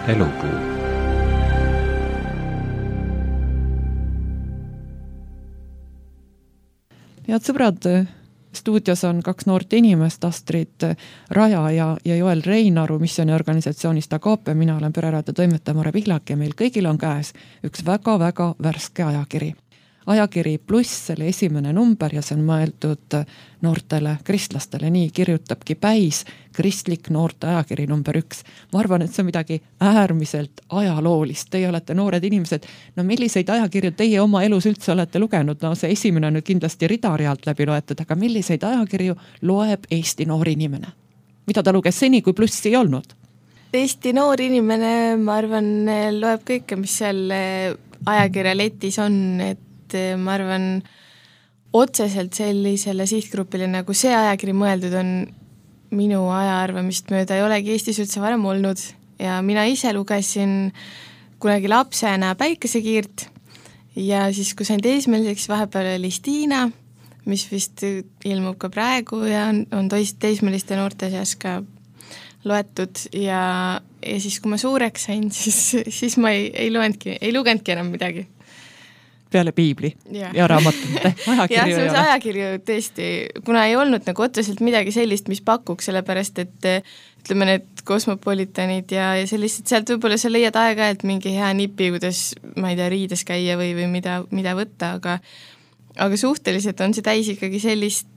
Elupuu. Head sõbrad, stuudios on kaks noort inimest, Astrid Raja ja Joel Reinaru missiooniorganisatsioonist Agape. Mina olen pereraadio toimetaja Mare Pihlak ja meil kõigil on käes üks väga-väga värske ajakiri. Ajakiri Pluss, selle esimene number ja see on mõeldud noortele kristlastele. Nii kirjutabki Päis, kristlik noorte ajakiri number 1. Ma arvan, et see on midagi äärmiselt ajaloolist. Teie olete noored inimesed. No milliseid ajakirju teie oma elus üldse olete lugenud? No see esimene on nüüd kindlasti ridarealt läbi loetud, aga milliseid ajakirju loeb Eesti noor inimene? Mida ta luges seni, kui Plussi ei olnud? Eesti noor inimene, ma arvan, loeb kõike, mis seal ajakirja letis on, et ma arvan, otseselt sellisele sihtgrupile, nagu see ajakiri mõeldud on, minu ajaarvamist mööda ei olegi Eestis üldse varem olnud ja mina ise lugesin kunagi lapsena Päikesekiirt ja siis, kui sain teismeliseks, vahepeal oli Stiina, mis vist ilmub ka praegu ja on teismeliste noorte seas ka loetud ja siis, kui ma suureks sain, siis ma ei lugenudki enam midagi. Peale piibli ja raamatute ajakirju. Ja see ajakirju tõesti, kuna ei olnud nagu otseselt midagi sellist, mis pakuks, sellepärast, et ütleme need kosmopolitanid ja sellised, sealt võib-olla sa leiad aega-ajalt mingi hea nipi, kuidas, ma ei tea, riides käia või mida võtta, aga suhteliselt on see täis ikkagi sellist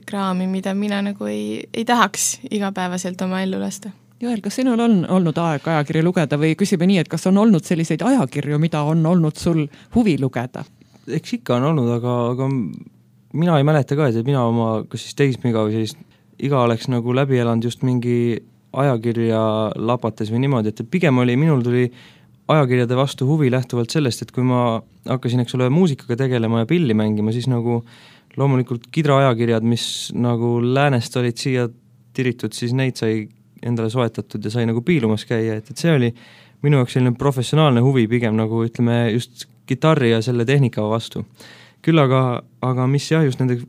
kraami, mida mina nagu ei tahaks igapäevaselt oma ellu lasta. Joel, kas sinul on olnud aeg ajakirju lugeda või küsime nii, et kas on olnud selliseid ajakirju, mida on olnud sul huvi lugeda? Eks ikka on olnud, aga mina ei mäleta ka, et mina oma kas siis teismiga või sellist iga oleks nagu läbi elanud just mingi ajakirja lapates või niimoodi, et pigem minul tuli ajakirjade vastu huvi lähtuvalt sellest, et kui ma hakkasin, eks ole, muusikaga tegelema ja pilli mängima, siis nagu loomulikult Kidra ajakirjad, mis nagu läänest olid siia tiritud, siis neid sai endale soetatud ja sai nagu piilumas käia, et see oli minu jaoks selline professionaalne huvi pigem nagu ütleme just kitarri ja selle tehnika vastu. Küll aga mis jah, just nende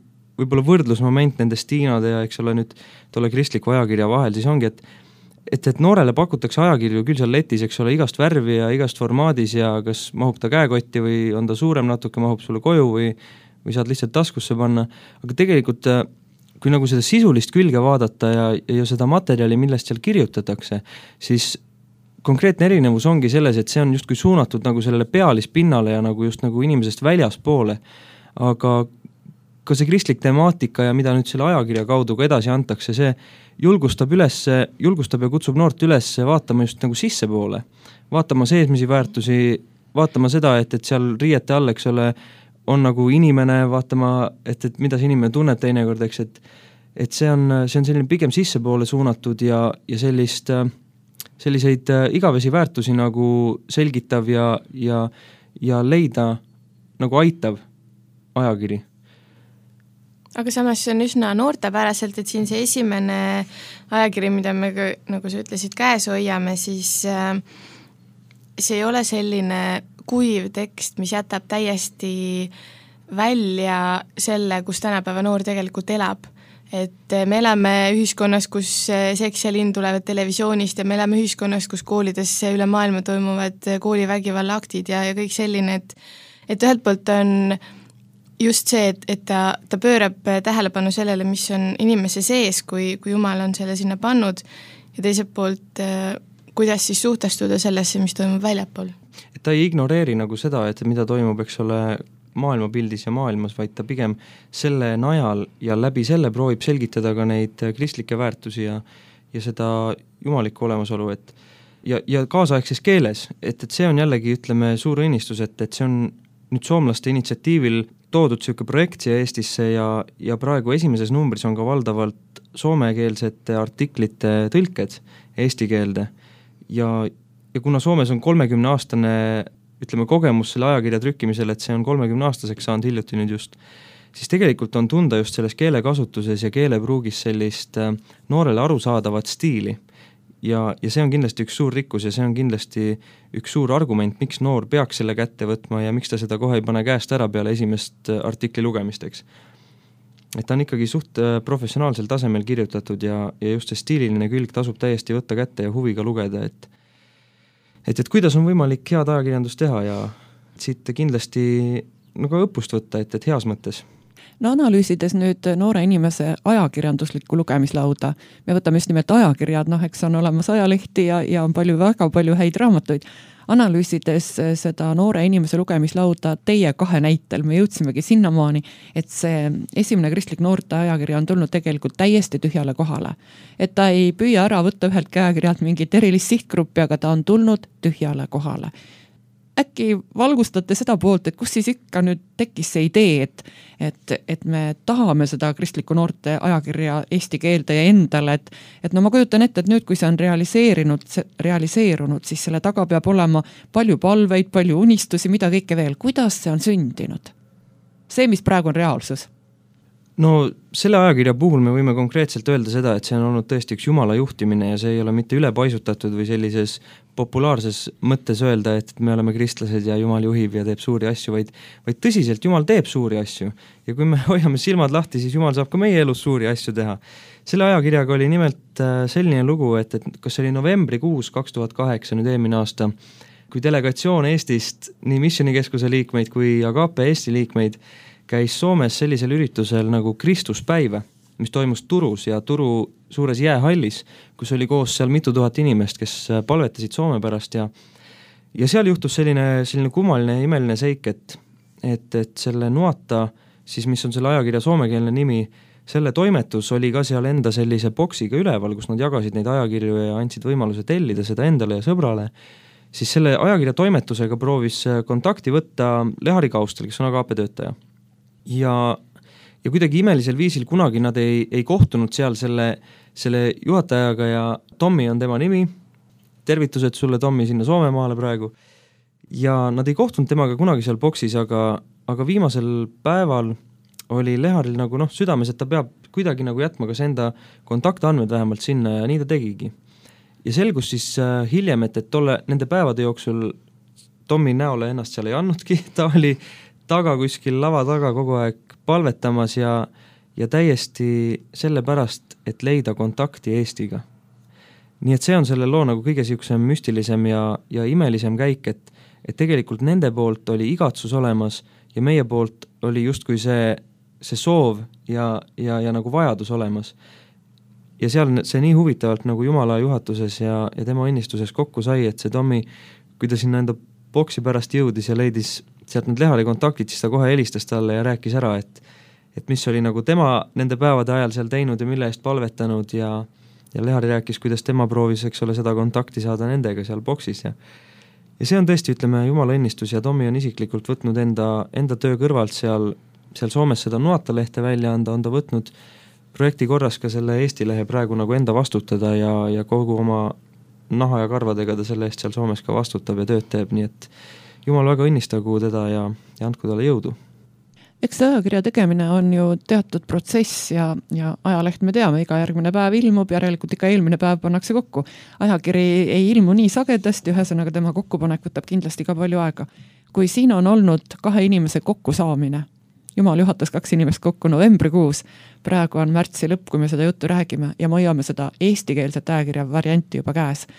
võib-olla võrdlusmoment nende Stiinade ja eks ole nüüd tolle kristliku ajakirja vahel, siis ongi, et noorele pakutakse ajakirju küll seal letis, eks ole, igast värvi ja igast formaadis ja kas mahub ta käekotti või on ta suurem natuke, mahub sulle koju või saad lihtsalt taskusse panna, aga tegelikult kui nagu seda sisulist külge vaadata ja seda materjali, millest seal kirjutatakse, siis konkreetne erinevus ongi selles, et see on justkui suunatud nagu sellele pealispinnale ja nagu just nagu inimesest väljaspoole. Aga ka see kristlik temaatika ja mida nüüd selle ajakirja kaudu ka edasi antakse, see julgustab ja kutsub noort üles vaatama just nagu sissepoole. Vaatama seesmisi väärtusi, vaatama seda, et seal riiete all, eks ole, on nagu inimene, vaatama, et mida see inimene tunneb teinekord, eks, et see on selline pigem sissepoole suunatud ja selliseid igavesi väärtusi nagu selgitav ja leida nagu aitav ajakiri. Aga samas see on üsna noortepäraselt, et siin see esimene ajakiri, mida me, nagu sa ütlesid, käes hoiame, siis see ei ole selline kuiv tekst, mis jätab täiesti välja selle, kus tänapäeva noor tegelikult elab. Et me elame ühiskonnas, kus seks ja lind tulevad televisioonist ja me elame ühiskonnas, kus koolides üle maailma toimuvad koolivägivalla aktid ja kõik selline, et ühelt poolt on just see, et ta pöörab tähelepanu sellele, mis on inimese sees, kui Jumal on selle sinna pannud ja teiselt poolt kuidas siis suhtestuda sellesse, mis toimub väljapool. Et ta ei ignoreeri nagu seda, et mida toimub, eks ole, maailmapildis ja maailmas, vaid ta pigem selle najal ja läbi selle proovib selgitada ka neid kristlikke väärtusi ja seda jumalikku olemasolu, ja kaasaegses keeles, et see on jällegi, ütleme, suur õnnistus, et see on nüüd soomlaste initsiatiivil toodud selline projekt siia Eestisse ja praegu esimeses numbris on ka valdavalt soomekeelsete artiklite tõlked eesti keelde ja kuna Soomes on 30-aastane, ütleme, kogemus selle ajakirja trükkimisel, et see on 30-aastaseks saanud hiljuti nüüd just, siis tegelikult on tunda just selles keelekasutuses ja keelepruugis sellist noorele arusaadavat stiili. Ja see on kindlasti üks suur rikkus ja see on kindlasti üks suur argument, miks noor peaks selle kätte võtma ja miks ta seda kohe ei pane käest ära peale esimest artikli lugemisteks. Et ta on ikkagi suht professionaalsel tasemel kirjutatud ja just see stiililine külg tasub täiesti võtta kätte ja huviga lugeda, et kuidas on võimalik head ajakirjandust teha ja siit kindlasti nagu õppust võtta, et heas mõttes. No analüüsides nüüd noore inimese ajakirjanduslikku lugemislauda, me võtame just nimelt ajakirjad, eks on olemas ajalehti ja on väga palju häid raamatuid. Analüüsides seda noore inimese lugemislauda teie 2 näitel, me jõudsimegi sinnamaani, et see esimene kristlik noorte ajakirja on tulnud tegelikult täiesti tühjale kohale. Et ta ei püüa ära võtta ühelt käekirjalt mingit erilist sihtgruppi, aga ta on tulnud tühjale kohale. Äkki valgustate seda poolt, et kus siis ikka nüüd tekkis see idee, et me tahame seda kristliku noorte ajakirja eesti keelde ja endale, et ma kujutan ette, et nüüd, kui see on realiseerunud, siis selle taga peab olema palju palveid, palju unistusi, mida kõike veel. Kuidas see on sündinud? See, mis praegu on reaalsus? No selle ajakirja puhul me võime konkreetselt öelda seda, et see on olnud tõesti üks Jumala juhtimine ja see ei ole mitte ülepaisutatud või sellises populaarses mõttes öelda, et me oleme kristlased ja Jumal juhib ja teeb suuri asju, vaid tõsiselt Jumal teeb suuri asju. Ja kui me hoiame silmad lahti, siis Jumal saab ka meie elus suuri asju teha. Selle ajakirjaga oli nimelt selline lugu, et kas see oli novembrikuus 2008, nüüd eelmine aasta, kui delegatsioon Eestist, nii Missionikeskuse liikmeid kui Agape Eesti liikmeid, käis Soomes sellisel üritusel nagu Kristuspäiv, mis toimus Turus ja Turu suures jäähallis, kus oli koos seal mitu tuhat inimest, kes palvetasid Soome pärast ja seal juhtus selline kummaline ja imeline seik, et selle Nuata, siis mis on selle ajakirja soomekeelne nimi, selle toimetus oli ka seal enda sellise boksiga üleval, kus nad jagasid neid ajakirju ja andsid võimaluse tellida seda endale ja sõbrale. Siis selle ajakirja toimetusega proovis kontakti võtta Lehari Kaustel, kes on Agape töötaja. Ja kuidagi imelisel viisil kunagi nad ei kohtunud seal selle juhatajaga ja Tommi on tema nimi, tervitused sulle Tommi sinna Soomemaale praegu, ja nad ei kohtunud temaga kunagi seal boksis, aga viimasel päeval oli Leharil nagu südames, et ta peab kuidagi nagu jätma kas enda kontaktandmed vähemalt sinna ja nii ta tegigi. Ja selgus siis hiljem, et nende päevade jooksul Tommi näole ennast seal ei annudki, ta oli taga kuskil lava taga kogu aeg palvetamas ja täiesti sellepärast, et leida kontakti Eestiga. Nii et see on selle loo nagu kõige siuksem müstilisem ja imelisem käik, et tegelikult nende poolt oli igatsus olemas ja meie poolt oli justkui see soov ja nagu vajadus olemas. Ja seal see nii huvitavalt nagu Jumala juhatuses ja tema õnnistuses kokku sai, et see Tommi, kui ta sinna enda boksi pärast jõudis ja leidis sealt need Lehari kontaktid, siis ta kohe helistas talle ja rääkis ära, et mis oli nagu tema nende päevade ajal seal teinud ja mille eest palvetanud ja Lehari rääkis, kuidas tema proovis, eks ole, seda kontakti saada nendega seal boksis ja see on tõesti, ütleme, Jumala õnnistus ja Tommi on isiklikult võtnud enda töö kõrvalt seal Soomes seda Nuata lehte välja anda, on ta võtnud projekti korras ka selle Eesti lehe praegu nagu enda vastutada ja kogu oma naha ja karvadega ta selle eest seal Soomes ka vastutab ja tööd teeb, nii et Jumal väga õnnistagu teda ja andku talle jõudu. Eks see ajakirja tegemine on ju teatud protsess ja ajaleht me teame, iga järgmine päev ilmub, järelikult ikka eelmine päev pannakse kokku. Ajakiri ei ilmu nii sagedasti, ühesõnaga tema kokkupanek võtab kindlasti ka palju aega. Kui siin on olnud 2 inimese kokkusaamine, Jumal juhatas 2 inimest kokku novembrikuus, praegu on märtsi lõpp, kui me seda juttu räägime ja me hoiame seda eestikeelset ajakirja varianti juba käes.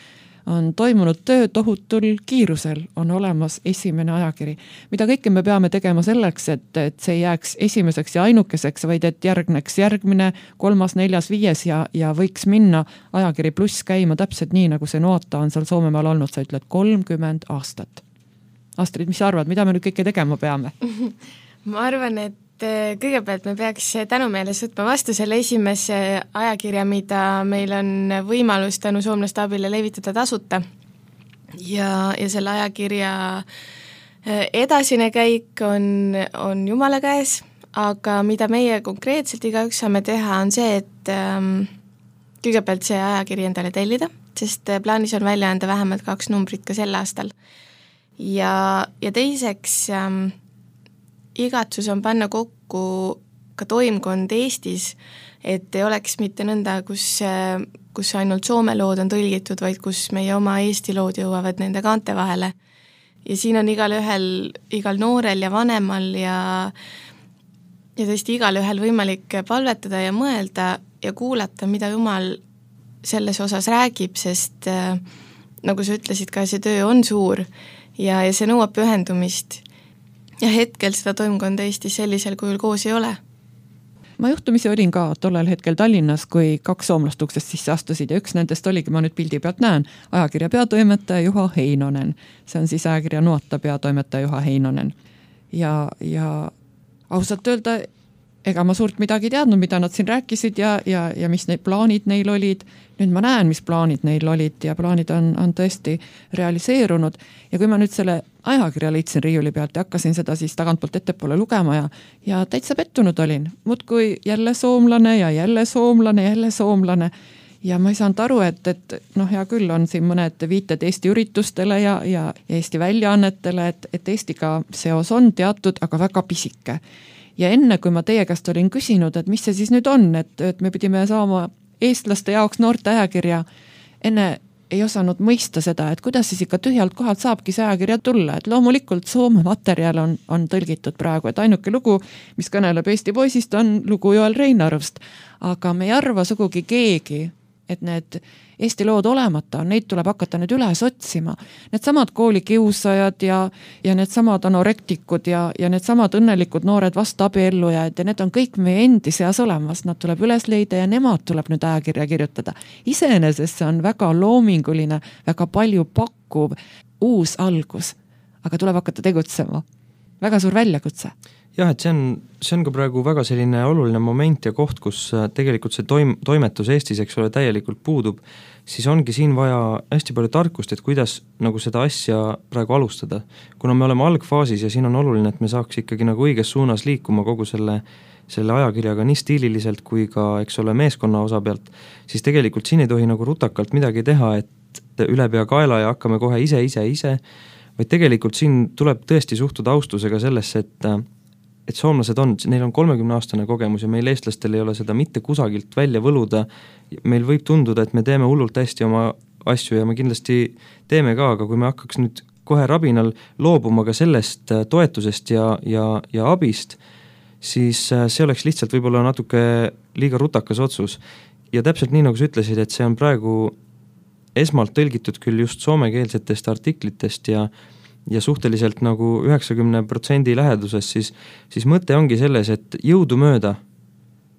On toimunud töö tohutul kiirusel, on olemas esimene ajakiri, mida kõike me peame tegema selleks, et see jääks esimeseks ja ainukeseks, vaid et järgneks järgmine, 3., 4., 5. ja võiks minna ajakiri pluss käima täpselt nii, nagu see Nuata on seal Soomemaal olnud, sa ütled 30 aastat. Astrid, mis sa arvad, mida me nüüd kõike tegema peame? Ma arvan, et kõigepealt me peaks tänumeeles võtma vastu selle esimese ajakirja, mida meil on võimalus tänu soomlaste abile levitada tasuta. Ja selle ajakirja edasine käik on Jumala käes, aga mida meie konkreetselt igaüks saame teha, on see, et kõigepealt see ajakiri endale tellida, sest plaanis on välja anda vähemalt 2 numbrit ka sel aastal. Ja teiseks igatsus on panna kokku ka toimkond Eestis, et ei oleks mitte nõnda, kus ainult Soome lood on tõlgitud, vaid kus meie oma Eesti lood jõuavad nende kaante vahele. Ja siin on igal noorel ja vanemal ja tõesti igal ühel võimalik palvetada ja mõelda ja kuulata, mida Jumal selles osas räägib, sest nagu sa ütlesid ka, see töö on suur ja see nõuab pühendumist. Ja hetkel seda toimkonda Eestis sellisel kujul koos ei ole. Ma juhtumisi olin ka tollel hetkel Tallinnas, kui 2 soomlast uksest sisse astusid ja üks nendest oligi, ma nüüd pildi pealt näen, ajakirja peatoimetaja Juha Heinonen. See on siis ajakirja Nuota peatoimetaja Juha Heinonen. Ja ausalt öelda, ega ma suurt midagi teadnud, mida nad siin rääkisid ja mis need plaanid neil olid. Nüüd ma näen, mis plaanid neil olid ja plaanid on tõesti realiseerunud. Ja kui ma nüüd selle ajakirja leidsin riiuli pealt ja hakkasin seda siis tagantpoolt ettepoole lugema ja täitsa pettunud olin. Muudkui jälle soomlane ja jälle soomlane, jälle soomlane. Ja ma ei saanud aru, et hea küll on siin mõned viited Eesti üritustele ja Eesti väljaannetele, et Eestiga seos on teatud, aga väga pisike. Ja enne, kui ma teie käest olin küsinud, et mis see siis nüüd on, et me pidime saama eestlaste jaoks noorte ajakirja, enne ei osanud mõista seda, et kuidas siis ikka tühjalt kohalt saabki see ajakirja tulla, et loomulikult Soome materjal on tõlgitud praegu, et ainuke lugu, mis kõneleb Eesti poisist, on lugu Joel Reinarust, aga me ei arva sugugi keegi, et need Eesti lood olemata on, neid tuleb hakata nüüd üles otsima. Need samad koolikiusajad ja need samad anorektikud ja need samad õnnelikud noored vastabiellujad ja need on kõik meie endi seas olemas, nad tuleb üles leida ja nemad tuleb nüüd ajakirja kirjutada. Iseenesest see on väga loominguline, väga palju pakkuv uus algus, aga tuleb hakata tegutsema. Väga suur väljakutse. Jah, et see on ka praegu väga selline oluline moment ja koht, kus tegelikult see toimetus Eestis, eks ole, täielikult puudub, siis ongi siin vaja hästi palju tarkust, et kuidas nagu seda asja praegu alustada. Kuna me oleme algfaasis ja siin on oluline, et me saaks ikkagi nagu õiges suunas liikuma kogu selle ajakirjaga nii stiililiselt kui ka, eks ole, meeskonna osa pealt, siis tegelikult siin ei tohi nagu rutakalt midagi teha, et üle pea kaela ja hakkame kohe ise, vaid tegelikult siin tuleb tõesti suhtuda austusega sellesse, et soomlased neil on 30-aastane kogemus ja meil eestlastel ei ole seda mitte kusagilt välja võluda. Meil võib tunduda, et me teeme hullult hästi oma asju ja me kindlasti teeme ka, aga kui me hakkaks nüüd kohe rabinal loobuma ka sellest toetusest ja abist, siis see oleks lihtsalt võib-olla natuke liiga rutakas otsus. Ja täpselt nii, nagu sa ütlesid, et see on praegu esmalt tõlgitud küll just soomekeelsetest artiklitest ja suhteliselt nagu 90% läheduses, siis mõte ongi selles, et jõudu mööda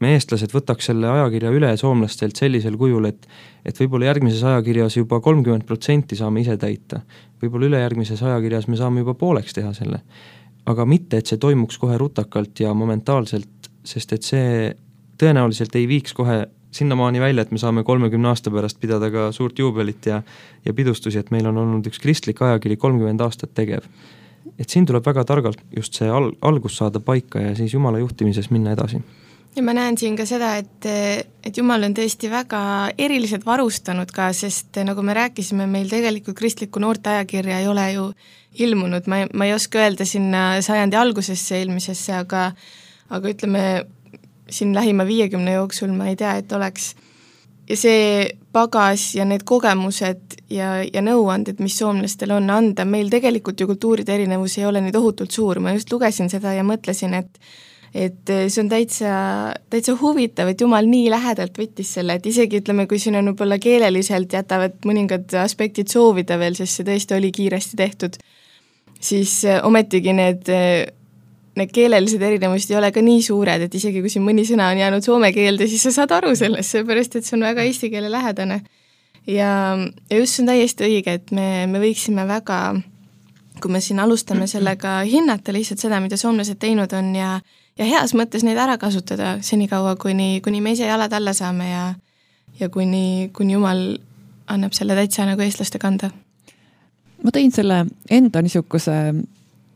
me eestlased võtaks selle ajakirja üle soomlastelt sellisel kujul, et võib-olla järgmises ajakirjas juba 30% saame ise täita. Võib-olla ülejärgmises ajakirjas me saame juba pooleks teha selle. Aga mitte, et see toimuks kohe rutakalt ja momentaalselt, sest et see tõenäoliselt ei viiks kohe sinnamaani välja, et me saame 30 aasta pärast pidada ka suurt juubelit ja pidustusi, et meil on olnud üks kristlik ajakiri 30 aastat tegev. Et siin tuleb väga targalt just see algus saada paika ja siis Jumala juhtimises minna edasi. Ja ma näen siin ka seda, et Jumal on tõesti väga eriliselt varustanud ka, sest nagu me rääkisime, meil tegelikult kristliku noorte ajakirja ei ole ju ilmunud. Ma ei oska öelda sinna sajandi algusesse eelmisesse, aga ütleme, siin lähima 50 jooksul ma ei tea, et oleks. Ja see pagas ja need kogemused ja nõuanded, mis soomlastel on anda, meil tegelikult ju kultuuride erinevus ei ole nii tohutult suur. Ma just lugesin seda ja mõtlesin, et see on täitsa huvitav, et Jumal nii lähedalt võttis selle, et isegi ütleme, kui siin on võib-olla keeleliselt jätavad mõningad aspektid soovida veel, sest see tõesti oli kiiresti tehtud, siis ometigi need keelelised erinevused ei ole ka nii suured, et isegi kui siin mõni sõna on jäänud soome keelde, siis sa saad aru sellest, seepärast, et see on väga eesti keele lähedane. Ja just see on täiesti õige, et me võiksime väga, kui me siin alustame sellega hinnata lihtsalt seda, mida soomlased teinud on ja heas mõttes neid ära kasutada senikaua, kuni me ise jalad alla saame ja kuni Jumal annab selle täitsa nagu eestlaste kanda. Ma tõin selle enda niisuguse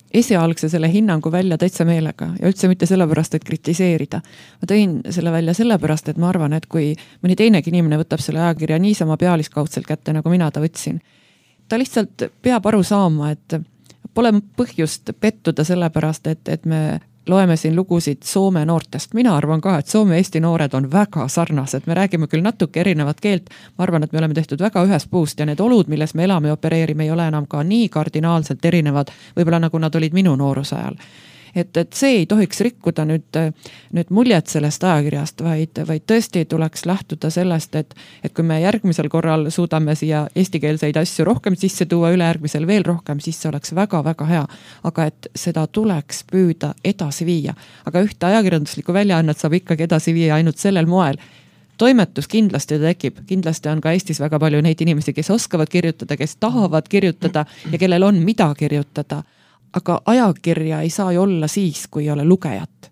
esialgse selle hinnangu välja täitsa meelega ja üldse mitte sellepärast, et kritiseerida. Ma tõin selle välja sellepärast, et ma arvan, et kui mõni teinegi inimene võtab selle ajakirja niisama pealiskaudselt kätte, nagu mina ta võtsin, ta lihtsalt peab aru saama, et pole põhjust pettuda sellepärast, et me loeme siin lugusid Soome noortest. Mina arvan ka, et Soome Eesti noored on väga sarnased. Me räägime küll natuke erinevat keelt. Ma arvan, et me oleme tehtud väga ühest puust ja need olud, milles me elame ja opereerime, ei ole enam ka nii kardinaalselt erinevad, võib-olla nagu nad olid minu nooruse ajal. et see ei tohiks rikkuda nüüd muljet sellest ajakirjast, vaid tõesti tuleks lähtuda sellest, et kui me järgmisel korral suudame siia eestikeelseid asju rohkem sisse tuua, ülejärgmisel veel rohkem, siis see oleks väga-väga hea. Aga et seda tuleks püüda edasi viia. Aga ühte ajakirjanduslikku väljaannet saab ikkagi edasi viia ainult sellel moel. Toimetus kindlasti tekib, kindlasti on ka Eestis väga palju neid inimesi, kes oskavad kirjutada, kes tahavad kirjutada ja kellel on mida kirjutada. Aga ajakirja ei saa ju olla siis, kui ei ole lugejat.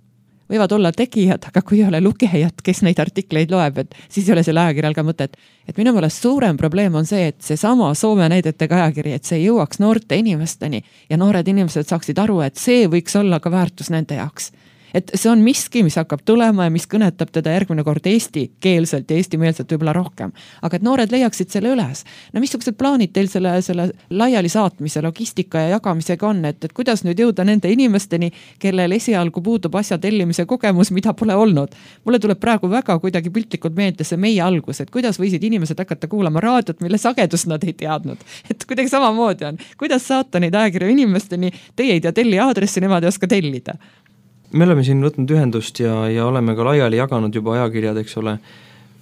Võivad olla tegijad, aga kui ei ole lugejat, kes neid artikleid loeb, et siis ei ole selle ajakirjal ka mõtet. Et minu meelest suurem probleem on see, et see sama Soome näidetega ajakiri, et see jõuaks noorte inimesteni ja noored inimesed saaksid aru, et see võiks olla ka väärtus nende jaoks. Et see on miski, mis hakkab tulema ja mis kõnetab teda järgmine kord eestikeelselt ja eestimeelselt võib-olla rohkem. Aga et noored leiaksid selle üles. No missugused plaanid teil selle laiali saatmise, logistika ja jagamisega on, et kuidas nüüd jõuda nende inimesteni, kellel esialgu puudub asja tellimise kogemus, mida pole olnud. Mulle tuleb praegu väga kuidagi piltlikult meelde see meie algus, et kuidas võisid inimesed hakata kuulama raadiot, mille sagedust nad ei teadnud. Et kuidagi samamoodi on. Kuidas saata neid ajakirju inimesteni, teie ei tea telli aadressi, nemad ei oska tellida. Me oleme siin võtnud ühendust ja oleme ka laiali jaganud juba ajakirjad, eks ole.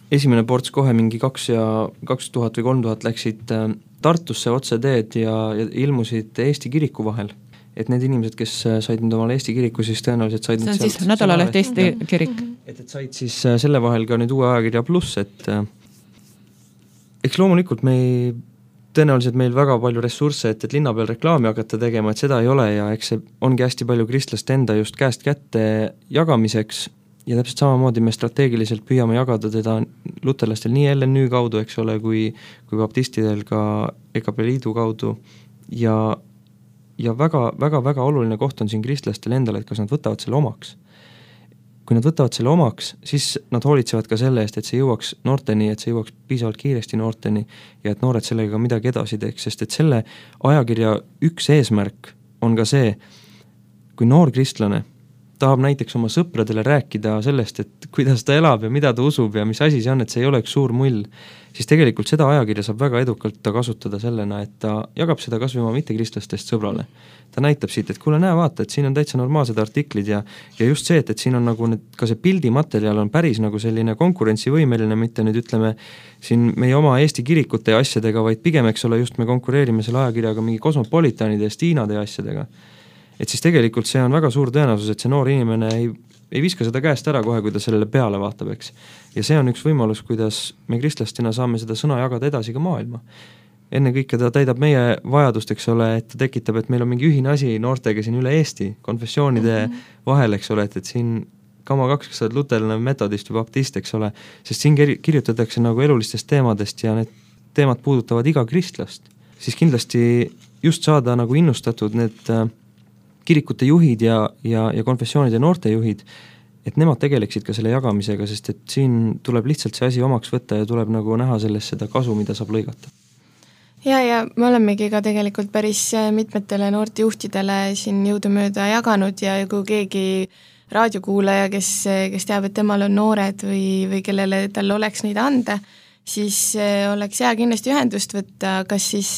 Esimene ports kohe mingi 2000 või 3000 läksid Tartusse otse teed ja ilmusid Eesti kiriku vahel. Et need inimesed, kes said nüüd omale Eesti kiriku, siis tõenäoliselt said... See on siis nädalaleht Eesti kirik. Et said siis selle vahel ka nüüd uue ajakirja pluss, et eks loomulikult tõenäoliselt meil väga palju ressursse, et linna peal reklaami hakata tegema, et seda ei ole ja eks see ongi hästi palju kristlaste enda just käest kätte jagamiseks ja täpselt samamoodi me strateegiliselt püüame jagada teda luterlastel nii LNÜ kaudu, eks ole, kui baptistidel ka EKP Liidu kaudu ja väga oluline koht on siin kristlastel endale, et kas nad võtavad selle omaks. Kui nad võtavad selle omaks, siis nad hoolitsevad ka selle eest, et see jõuaks noorteni, et see jõuaks piisavalt kiiresti noorteni ja et noored sellega midagi edasi teeks, sest et selle ajakirja üks eesmärk on ka see, kui noor kristlane tahab näiteks oma sõpradele rääkida sellest, et kuidas ta elab ja mida ta usub ja mis asi see on, et see ei ole üks suur mull, siis tegelikult seda ajakirja saab väga edukalt ta kasutada sellena, et ta jagab seda kas või oma mittekristlastest sõbrale. Ta näitab siit, et kuule, näe, vaata, et siin on täitsa normaalsed artiklid ja just see, et siin on nagu ka see pildimaterjal on päris nagu selline konkurentsivõimeline, mitte nüüd ütleme siin meie oma Eesti kirikute ja asjadega, vaid pigem, eks ole, just me konkureerime selle ajakirjaga mingi kosmopolitanide ja Stiinade ja asjadega. Et siis tegelikult see on väga suur tõenäosus, et see noor inimene ei viska seda käest ära kohe, kui ta sellele peale vaatab, eks. Ja see on üks võimalus, kuidas me kristlastena saame seda sõna jagada edasi ka maailma. Enne kõike ta täidab meie vajadust, eks ole, et ta tekitab, et meil on mingi ühine asi noortega siin üle Eesti, konfessioonide vahel, eks ole, et siin kama 2, kes oled luterlane, metodist või baptist, eks ole, sest siin kirjutatakse nagu elulistest teemadest ja need teemad puudutavad iga kristlast. Siis kindlasti just saada nagu innustatud need kirikute juhid ja konfessioonide noorte juhid, et nemad tegeleksid ka selle jagamisega, sest et siin tuleb lihtsalt see asi omaks võtta ja tuleb nagu näha sellest seda kasu, mida saab lõigata. Ja me olemegi ka tegelikult päris mitmetele noortejuhtidele siin jõudumööda jaganud ja kui keegi raadiokuulaja, kes teab, et temal on noored või kellele tal oleks neid anda, siis oleks hea kindlasti ühendust võtta, kas siis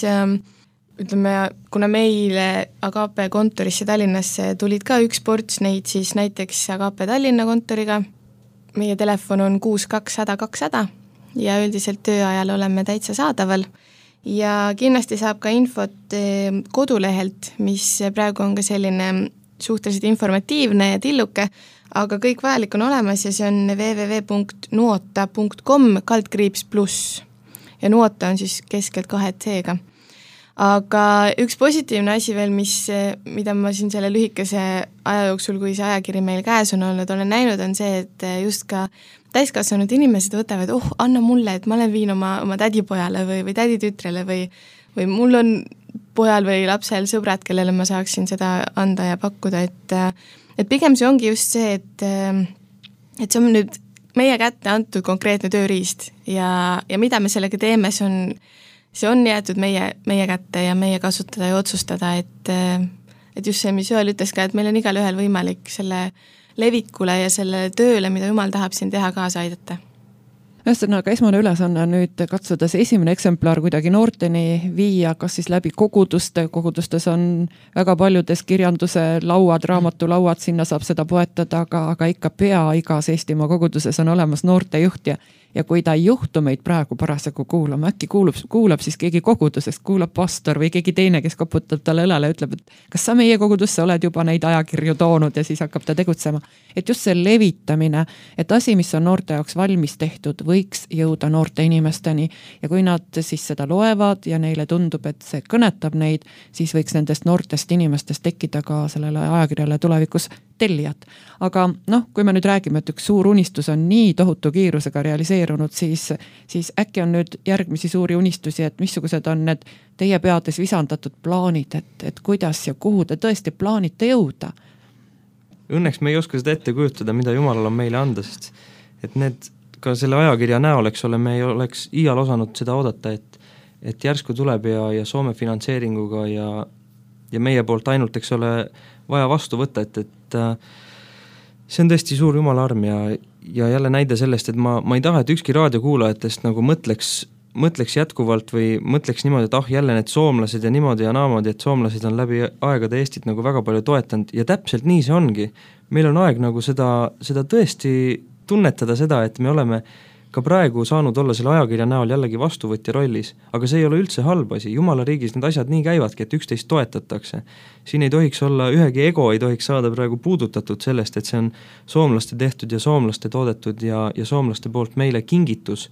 ütleme, kuna meile Agape kontorisse Tallinnasse tulid ka üks ports neid, siis näiteks Agape Tallinna kontoriga. Meie telefon on 62100 ja üldiselt tööajal oleme täitsa saadaval. Ja kindlasti saab ka infot kodulehelt, mis praegu on ka selline suhteliselt informatiivne ja tilluke, aga kõik vajalik on olemas ja see on www.nuota.com/+. Ja Nuota on siis keskelt 2 C-ga. Aga üks positiivne asi veel, mida ma siin selle lühikese aja jooksul, kui see ajakiri meil käes on olnud, olen näinud, on see, et just ka täiskasvanud inimesed võtavad, anna mulle, et ma olen viin oma tädipojale või täditütrele või mul on pojal või lapsel sõbrad, kellele ma saaksin seda anda ja pakkuda, et pigem see ongi just see, et see on nüüd meie kätte antud konkreetne tööriist ja mida me sellega teeme, see on jäetud meie kätte ja meie kasutada ja otsustada, et just see, mis Joel ütles ka, et meil on igal ühel võimalik selle levikule ja selle tööle, mida Jumal tahab siin teha, kaasa aidata. Ühesõnaga, esmane ülesanne on nüüd katsuda see esimene eksemplar kuidagi noorteni viia, kas siis läbi kogudustes on väga paljudes kirjanduse lauad, raamatulauad, sinna saab seda poetada, aga ikka igas Eestimaa koguduses on olemas noortejuht ja kui ta ei juhtu meid praegu parasjagu kuulama, äkki kuulab siis keegi kogudusest, kuulab pastor või keegi teine, kes koputab talle õlale ja ütleb, et kas sa meie kogudusse oled juba neid ajakirju toonud ja siis hakkab ta tegutsema. Et just see levitamine, et asi, mis on noorte jaoks valmis tehtud, võiks jõuda noorte inimesteni ja kui nad siis seda loevad ja neile tundub, et see kõnetab neid, siis võiks nendest noortest inimestest tekkida ka sellele ajakirjale tulevikus tellijad. Aga kui me nüüd räägime, et üks suur unistus on nii tohutu kiirusega realiseerunud, siis äkki on nüüd järgmisi suuri unistusi, et missugused on need teie peades visandatud plaanid, et kuidas ja kuhu te tõesti plaanite jõuda? Õnneks me ei oska seda ette kujutada, mida Jumalal on meile anda, sest et need ka selle ajakirja näol, eks ole, me ei oleks iial osanud seda oodata, et järsku tuleb ja Soome finantseeringuga ja meie poolt ainult, eks ole, vaja vastu võtta, et see on tõesti suur Jumala arm ja jälle näide sellest, et ma ei taha, et ükski raadiokuulajatest nagu mõtleks jätkuvalt või mõtleks niimoodi, et jälle need soomlased ja niimoodi ja naamoodi, et soomlased on läbi aegade Eestit nagu väga palju toetanud ja täpselt nii see ongi. Meil on aeg nagu seda tõesti tunnetada seda, et me oleme ka praegu saanud olla selle ajakirja näol jällegi vastuvõtja rollis, aga see ei ole üldse halb asi, Jumala riigis need asjad nii käivadki, et üksteist toetatakse. Siin ei tohiks olla, ühegi ego ei tohiks saada praegu puudutatud sellest, et see on soomlaste tehtud ja soomlaste toodetud ja soomlaste poolt meile kingitus,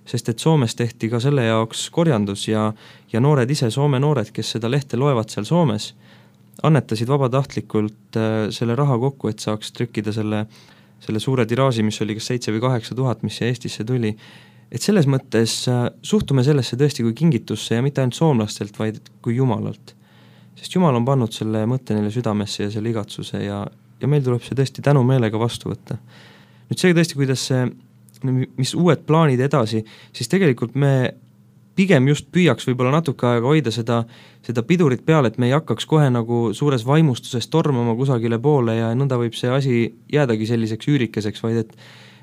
sest et Soomes tehti ka selle jaoks korjandus ja noored ise, Soome noored, kes seda lehte loevad seal Soomes, annetasid vabatahtlikult selle raha kokku, et saaks trükkida selle suure tiraaži, mis oli kas 7 või 8 tuhat, mis Eestisse tuli. Et selles mõttes suhtume sellesse tõesti kui kingitusse ja mitte ainult soomlastelt, vaid kui Jumalalt. Sest Jumal on pannud selle mõtte neile südamesse ja selle igatsuse ja meil tuleb see tõesti tänu meelega vastu võtta. Nüüd see tõesti, kuidas mis uued plaanid edasi, siis tegelikult me pigem just püüaks võib-olla natuke aega hoida seda pidurit peale, et me ei hakkaks kohe nagu suures vaimustuses tormama kusagile poole ja nõnda võib see asi jäädagi selliseks üürikeseks, vaid et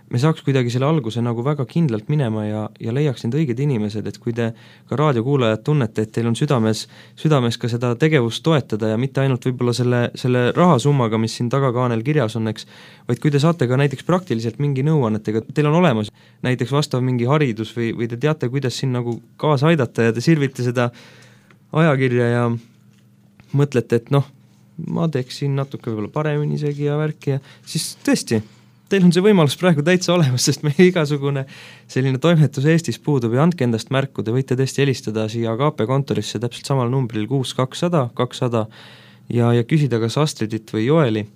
me saaks kuidagi selle alguse nagu väga kindlalt minema ja leiaks need õiged inimesed, et kui te ka raadiokuulajad tunnete, et teil on südames ka seda tegevust toetada ja mitte ainult võib-olla selle rahasummaga, mis siin tagakaanel kirjas on, eks, vaid kui te saate ka näiteks praktiliselt mingi nõuannetega, teil on olemas näiteks vastav mingi haridus või te teate, kuidas siin nagu kaasa aidata ja te sirvite seda ajakirja ja mõtlete, et ma teeksin natuke võib-olla paremini isegi ja värki ja siis tõesti, teil on see võimalus praegu täitsa olemas, sest meie igasugune selline toimetus Eestis puudub ja andke endast märku, te võite tõesti helistada siia KP kontorisse täpselt samal numbril 6200 ja küsida kas Astridit või Joeli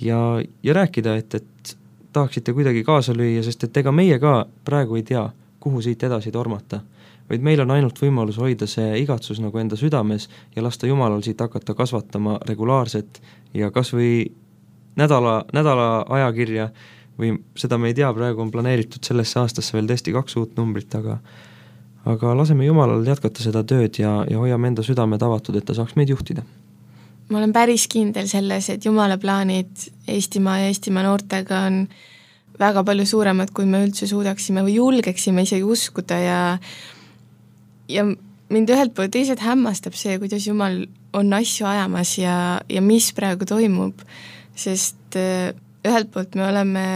ja rääkida, et tahaksite kuidagi kaasa lüüa, sest et ega meie ka praegu ei tea, kuhu siit edasi tormata, vaid meil on ainult võimalus hoida see igatsus nagu enda südames ja lasta Jumalal siit hakata kasvatama regulaarset ja kas või nädala ajakirja või seda me ei tea, praegu on planeeritud sellesse aastasse veel tõesti 2 uut numbrit, aga laseme Jumalal jätkata seda tööd ja hoiame enda südamed avatud, et ta saaks meid juhtida. Ma olen päris kindel selles, et Jumala plaanid Eestimaa ja Eestimaa noortega on väga palju suuremad, kui me üldse suudaksime või julgeksime isegi uskuda ja mind ühelt poolt teised hämmastab see, kuidas Jumal on asju ajamas ja mis praegu toimub, sest ühelt poolt me oleme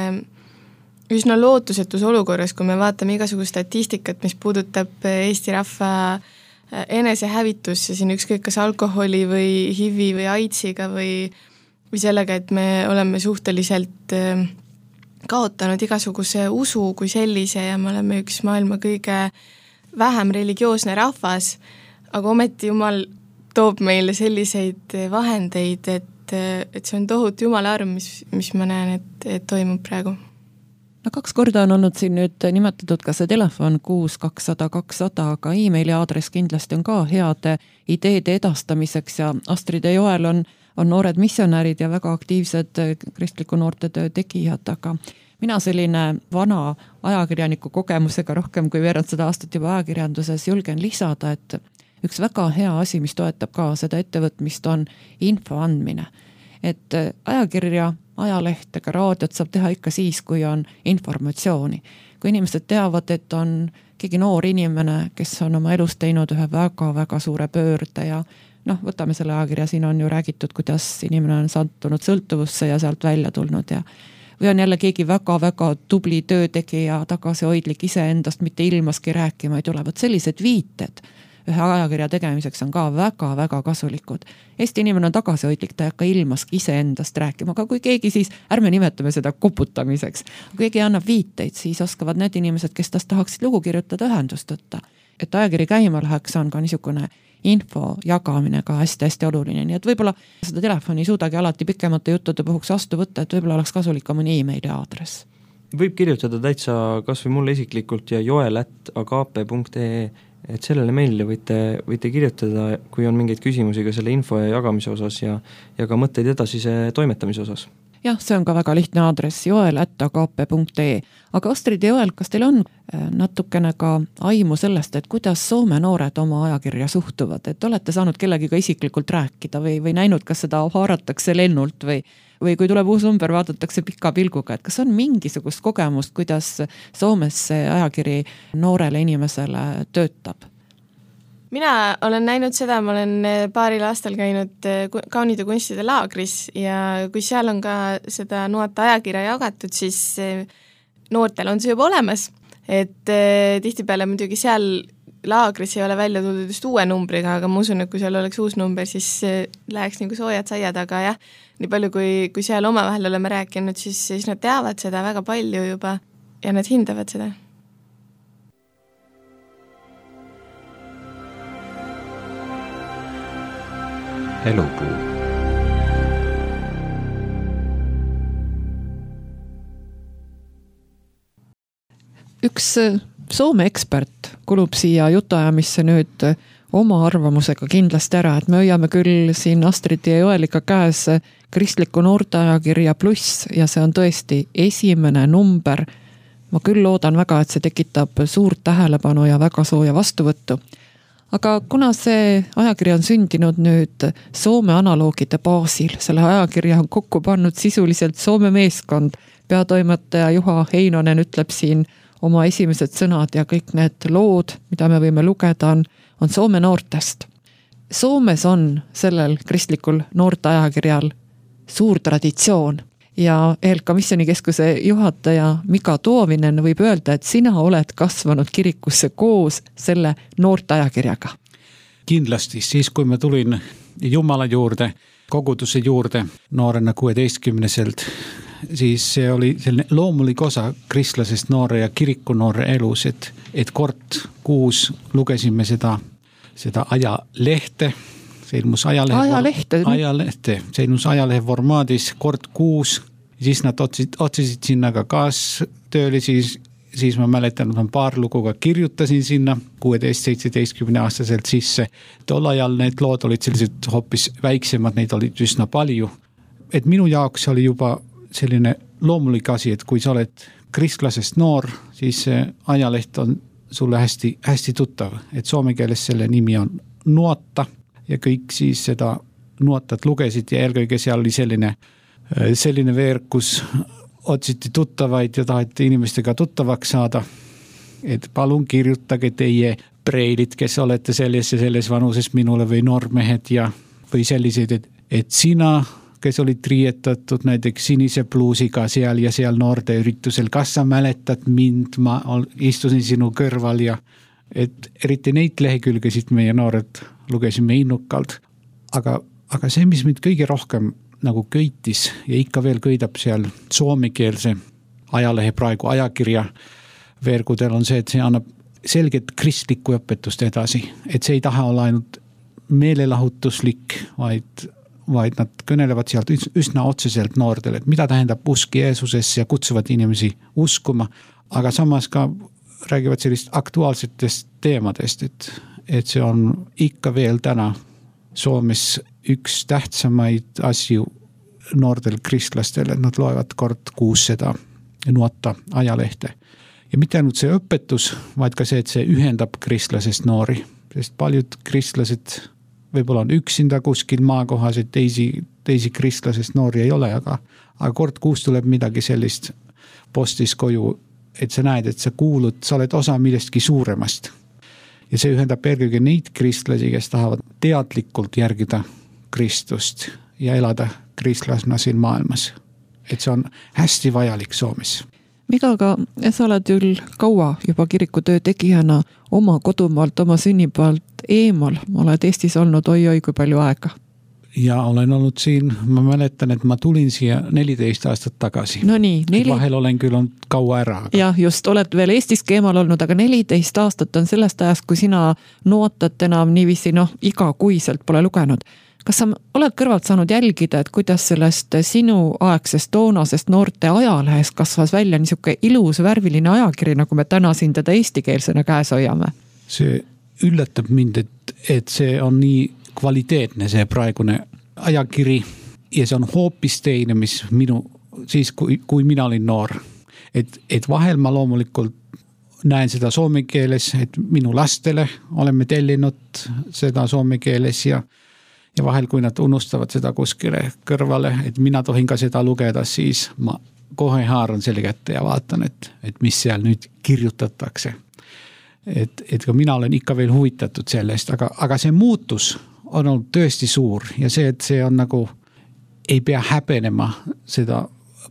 üsna lootusetus olukorras, kui me vaatame igasugust statistikat, mis puudutab Eesti rahva enesehävitusse siin ükskõik kas alkoholi või HIV või AIDSiga või sellega, et me oleme suhteliselt kaotanud igasuguse usu kui sellise ja me oleme üks maailma kõige vähem religioosne rahvas, aga ometi Jumal toob meile selliseid vahendeid, et see on tohutu Jumala arm, mis ma näen, et toimub praegu. 2 korda on olnud siin nüüd nimetatud ka see telefon 6200, aga e-maili aadress kindlasti on ka heade ideede edastamiseks ja Astrid ja Joel on noored missionärid ja väga aktiivsed kristliku noortetöö tegijad, aga mina selline vana ajakirjaniku kogemusega rohkem kui veerand 100 aastat juba ajakirjanduses julgen lisada, et üks väga hea asi, mis toetab ka seda ettevõtmist, on info andmine. Et ajakirja ajalehte, ka raadiot saab teha ikka siis, kui on informatsiooni. Kui inimesed teavad, et on keegi noor inimene, kes on oma elus teinud ühe väga-väga suure pöörde ja võtame selle ajakirja, siin on ju räägitud, kuidas inimene on sattunud sõltuvusse ja sealt välja tulnud ja või on jälle keegi väga-väga tubli töötegija, tagasihoidlik iseendast, mitte ilmaski rääkima ei tule. Võt sellised viited ühe ajakirja tegemiseks on ka väga-väga kasulikud. Eesti inimene on tagasihoidlik, ta ei hakka ilmaski iseendast rääkima, aga kui keegi siis, ärme nimetame seda koputamiseks, kui keegi annab viiteid, siis oskavad need inimesed, kes tast tahaksid lugu kirjutada, ühendust võtta. Et ajakiri käima läheks, on ka niisugune info jagamine ka hästi-hästi oluline, nii et võib-olla seda telefoni ei suudagi alati pikemate juttude puhuks vastu võtta, et võib-olla oleks kasulik ka mõni e-maili aadress. Võib kirjutada täitsa kas või mulle isiklikult ja joel@agape.ee, et sellele meilile võite kirjutada, kui on mingeid küsimusi ka selle info ja jagamise osas ja ka mõtteid edasise toimetamise osas. Jah, see on ka väga lihtne aadress, joel@agape.ee. Aga Astrid ja Joel, kas teil on natukene ka aimu sellest, et kuidas Soome noored oma ajakirja suhtuvad, et olete saanud kellegiga isiklikult rääkida või näinud, kas seda haaratakse lennult või kui tuleb uus number, vaadatakse pika pilguga, et kas on mingisugust kogemust, kuidas Soomes see ajakiri noorele inimesele töötab? Mina olen näinud seda, ma olen paaril aastal käinud kaunide kunstide laagris ja kui seal on ka seda Nuota ajakirja jagatud, siis noortel on see juba olemas, et tihtipeale muidugi seal laagris ei ole välja tuldud just uue numbriga, aga ma usun, et kui seal oleks uus number, siis läheks nagu soojad saiad, aga jah, nii palju kui seal omavahel oleme rääkinud, siis nad teavad seda väga palju juba ja nad hindavad seda. Elupuu. Üks Soome ekspert kulub siia jutuajamisse nüüd oma arvamusega kindlasti ära, et me hoiame küll siin Astrid ja Joeliga käes kristliku noorteajakirja Pluss ja see on tõesti esimene number. Ma küll loodan väga, et see tekitab suurt tähelepanu ja väga sooja vastuvõttu. Aga kuna see ajakiri on sündinud nüüd Soome analoogide baasil, selle ajakirja on kokku pannud sisuliselt Soome meeskond, peatoimetaja Juha Heinonen ütleb siin oma esimesed sõnad ja kõik need lood, mida me võime lugeda, on Soome noortest. Soomes on sellel kristlikul noorteajakirjal suur traditsioon ja ELK Missioonikeskuse juhataja Mika Tuovinen võib öelda, et sina oled kasvanud kirikusse koos selle noorteajakirjaga. Kindlasti, siis kui ma tulin Jumala juurde, koguduse juurde noorena 16-selt, siis see oli selline loomulik osa kristlasest noore ja kiriku noore elus, et kord kuus lugesime seda ajalehte, see ilmus ajalehte, see ilmus ajalehe formaadis kord kuus, siis nad otsisid sinna ka kaastöölisi, siis ma mäletan, et ma paar lugu ka kirjutasin sinna 16-17 aastaselt sisse. Tol ajal need lood olid sellised hoopis väiksemad, neid olid üsna palju. Et minu jaoks oli juba selline loomulik asi, et kui sa oled kristlasest noor, siis see ajaleht on sulle hästi, hästi tuttav, et soome keeles selle nimi on Nuota ja kõik siis seda Nuotat lugesid ja eelkõige seal oli selline veer, kus otsiti tuttavaid ja taheti inimestega tuttavaks saada, et palun kirjutage teie preilid, kes olete selles vanuses minule või noormehed või sellised, et sina, kes olid riietatud näiteks sinise pluusiga seal ja seal noorte üritusel, kas sa mäletad mind, ma istusin sinu kõrval ja et eriti neid lehekülgesid meie noored lugesime innukalt, aga see, mis mind kõige rohkem nagu köitis ja ikka veel köidab seal soomekeelse ajalehe praegu ajakirja veergudel on see, et see annab selget kristlikku õpetust edasi, et see ei taha olla ainult meelelahutuslik, vaid nad kõnelevad sealt üsna otseselt noortele, et mida tähendab usk Jeesusesse ja kutsuvad inimesi uskuma, aga samas ka räägivad sellist aktuaalsetest teemadest, et see on ikka veel täna Soomes üks tähtsamaid asju noortel kristlastel, et nad loevad kord kuus seda Nuota ajalehte. Ja mitte ainult see õpetus, vaid ka see, et see ühendab kristlasest noori, sest paljud kristlased võib-olla on üksinda kuskil maakohas, et teisi kristlasest noori ei ole, aga kord kuus tuleb midagi sellist postis koju, et sa näed, et sa kuulud, sa oled osa millestki suuremast. Ja see ühendab eelkõige neid kristlasi, kes tahavad teadlikult järgida Kristust ja elada kristlasna siin maailmas. Et see on hästi vajalik Soomes. Miga, aga sa oled küll kaua juba kirikutöö tegijana oma kodumaalt, oma sünnipaalt eemal. Oled Eestis olnud oi kui palju aega. Ja olen olnud siin, ma mäletan, et ma tulin siia 14 aastat tagasi. No nii, Vahel olen küll olnud kaua ära. Aga... Jah, just, oled veel Eestiski eemal olnud, aga 14 aastat on sellest ajast, kui sina nootat enam niiviisi, igakuiselt pole lugenud. Kas sa oled kõrvalt saanud jälgida, et kuidas sellest sinu aegsest toonasest noorte ajalehest kasvas välja niisuke ilus värviline ajakiri, nagu me täna siin teda eestikeelsena käes hoiame? See üllatab mind, et see on nii kvaliteetne see praegune ajakiri ja see on hoopis teine, mis siis kui mina olin noor. Et vahel ma loomulikult näen seda soome keeles, et minu lastele oleme tellinud seda soome keeles ja vahel, kui nad unustavad seda kuskile kõrvale, et mina tohin ka seda lugeda, siis ma kohe haaran selle kätte ja vaatan, et mis seal nüüd kirjutatakse. Et ka mina olen ikka veel huvitatud sellest, aga see muutus on olnud tõesti suur ja see, et see on nagu, ei pea häbenema seda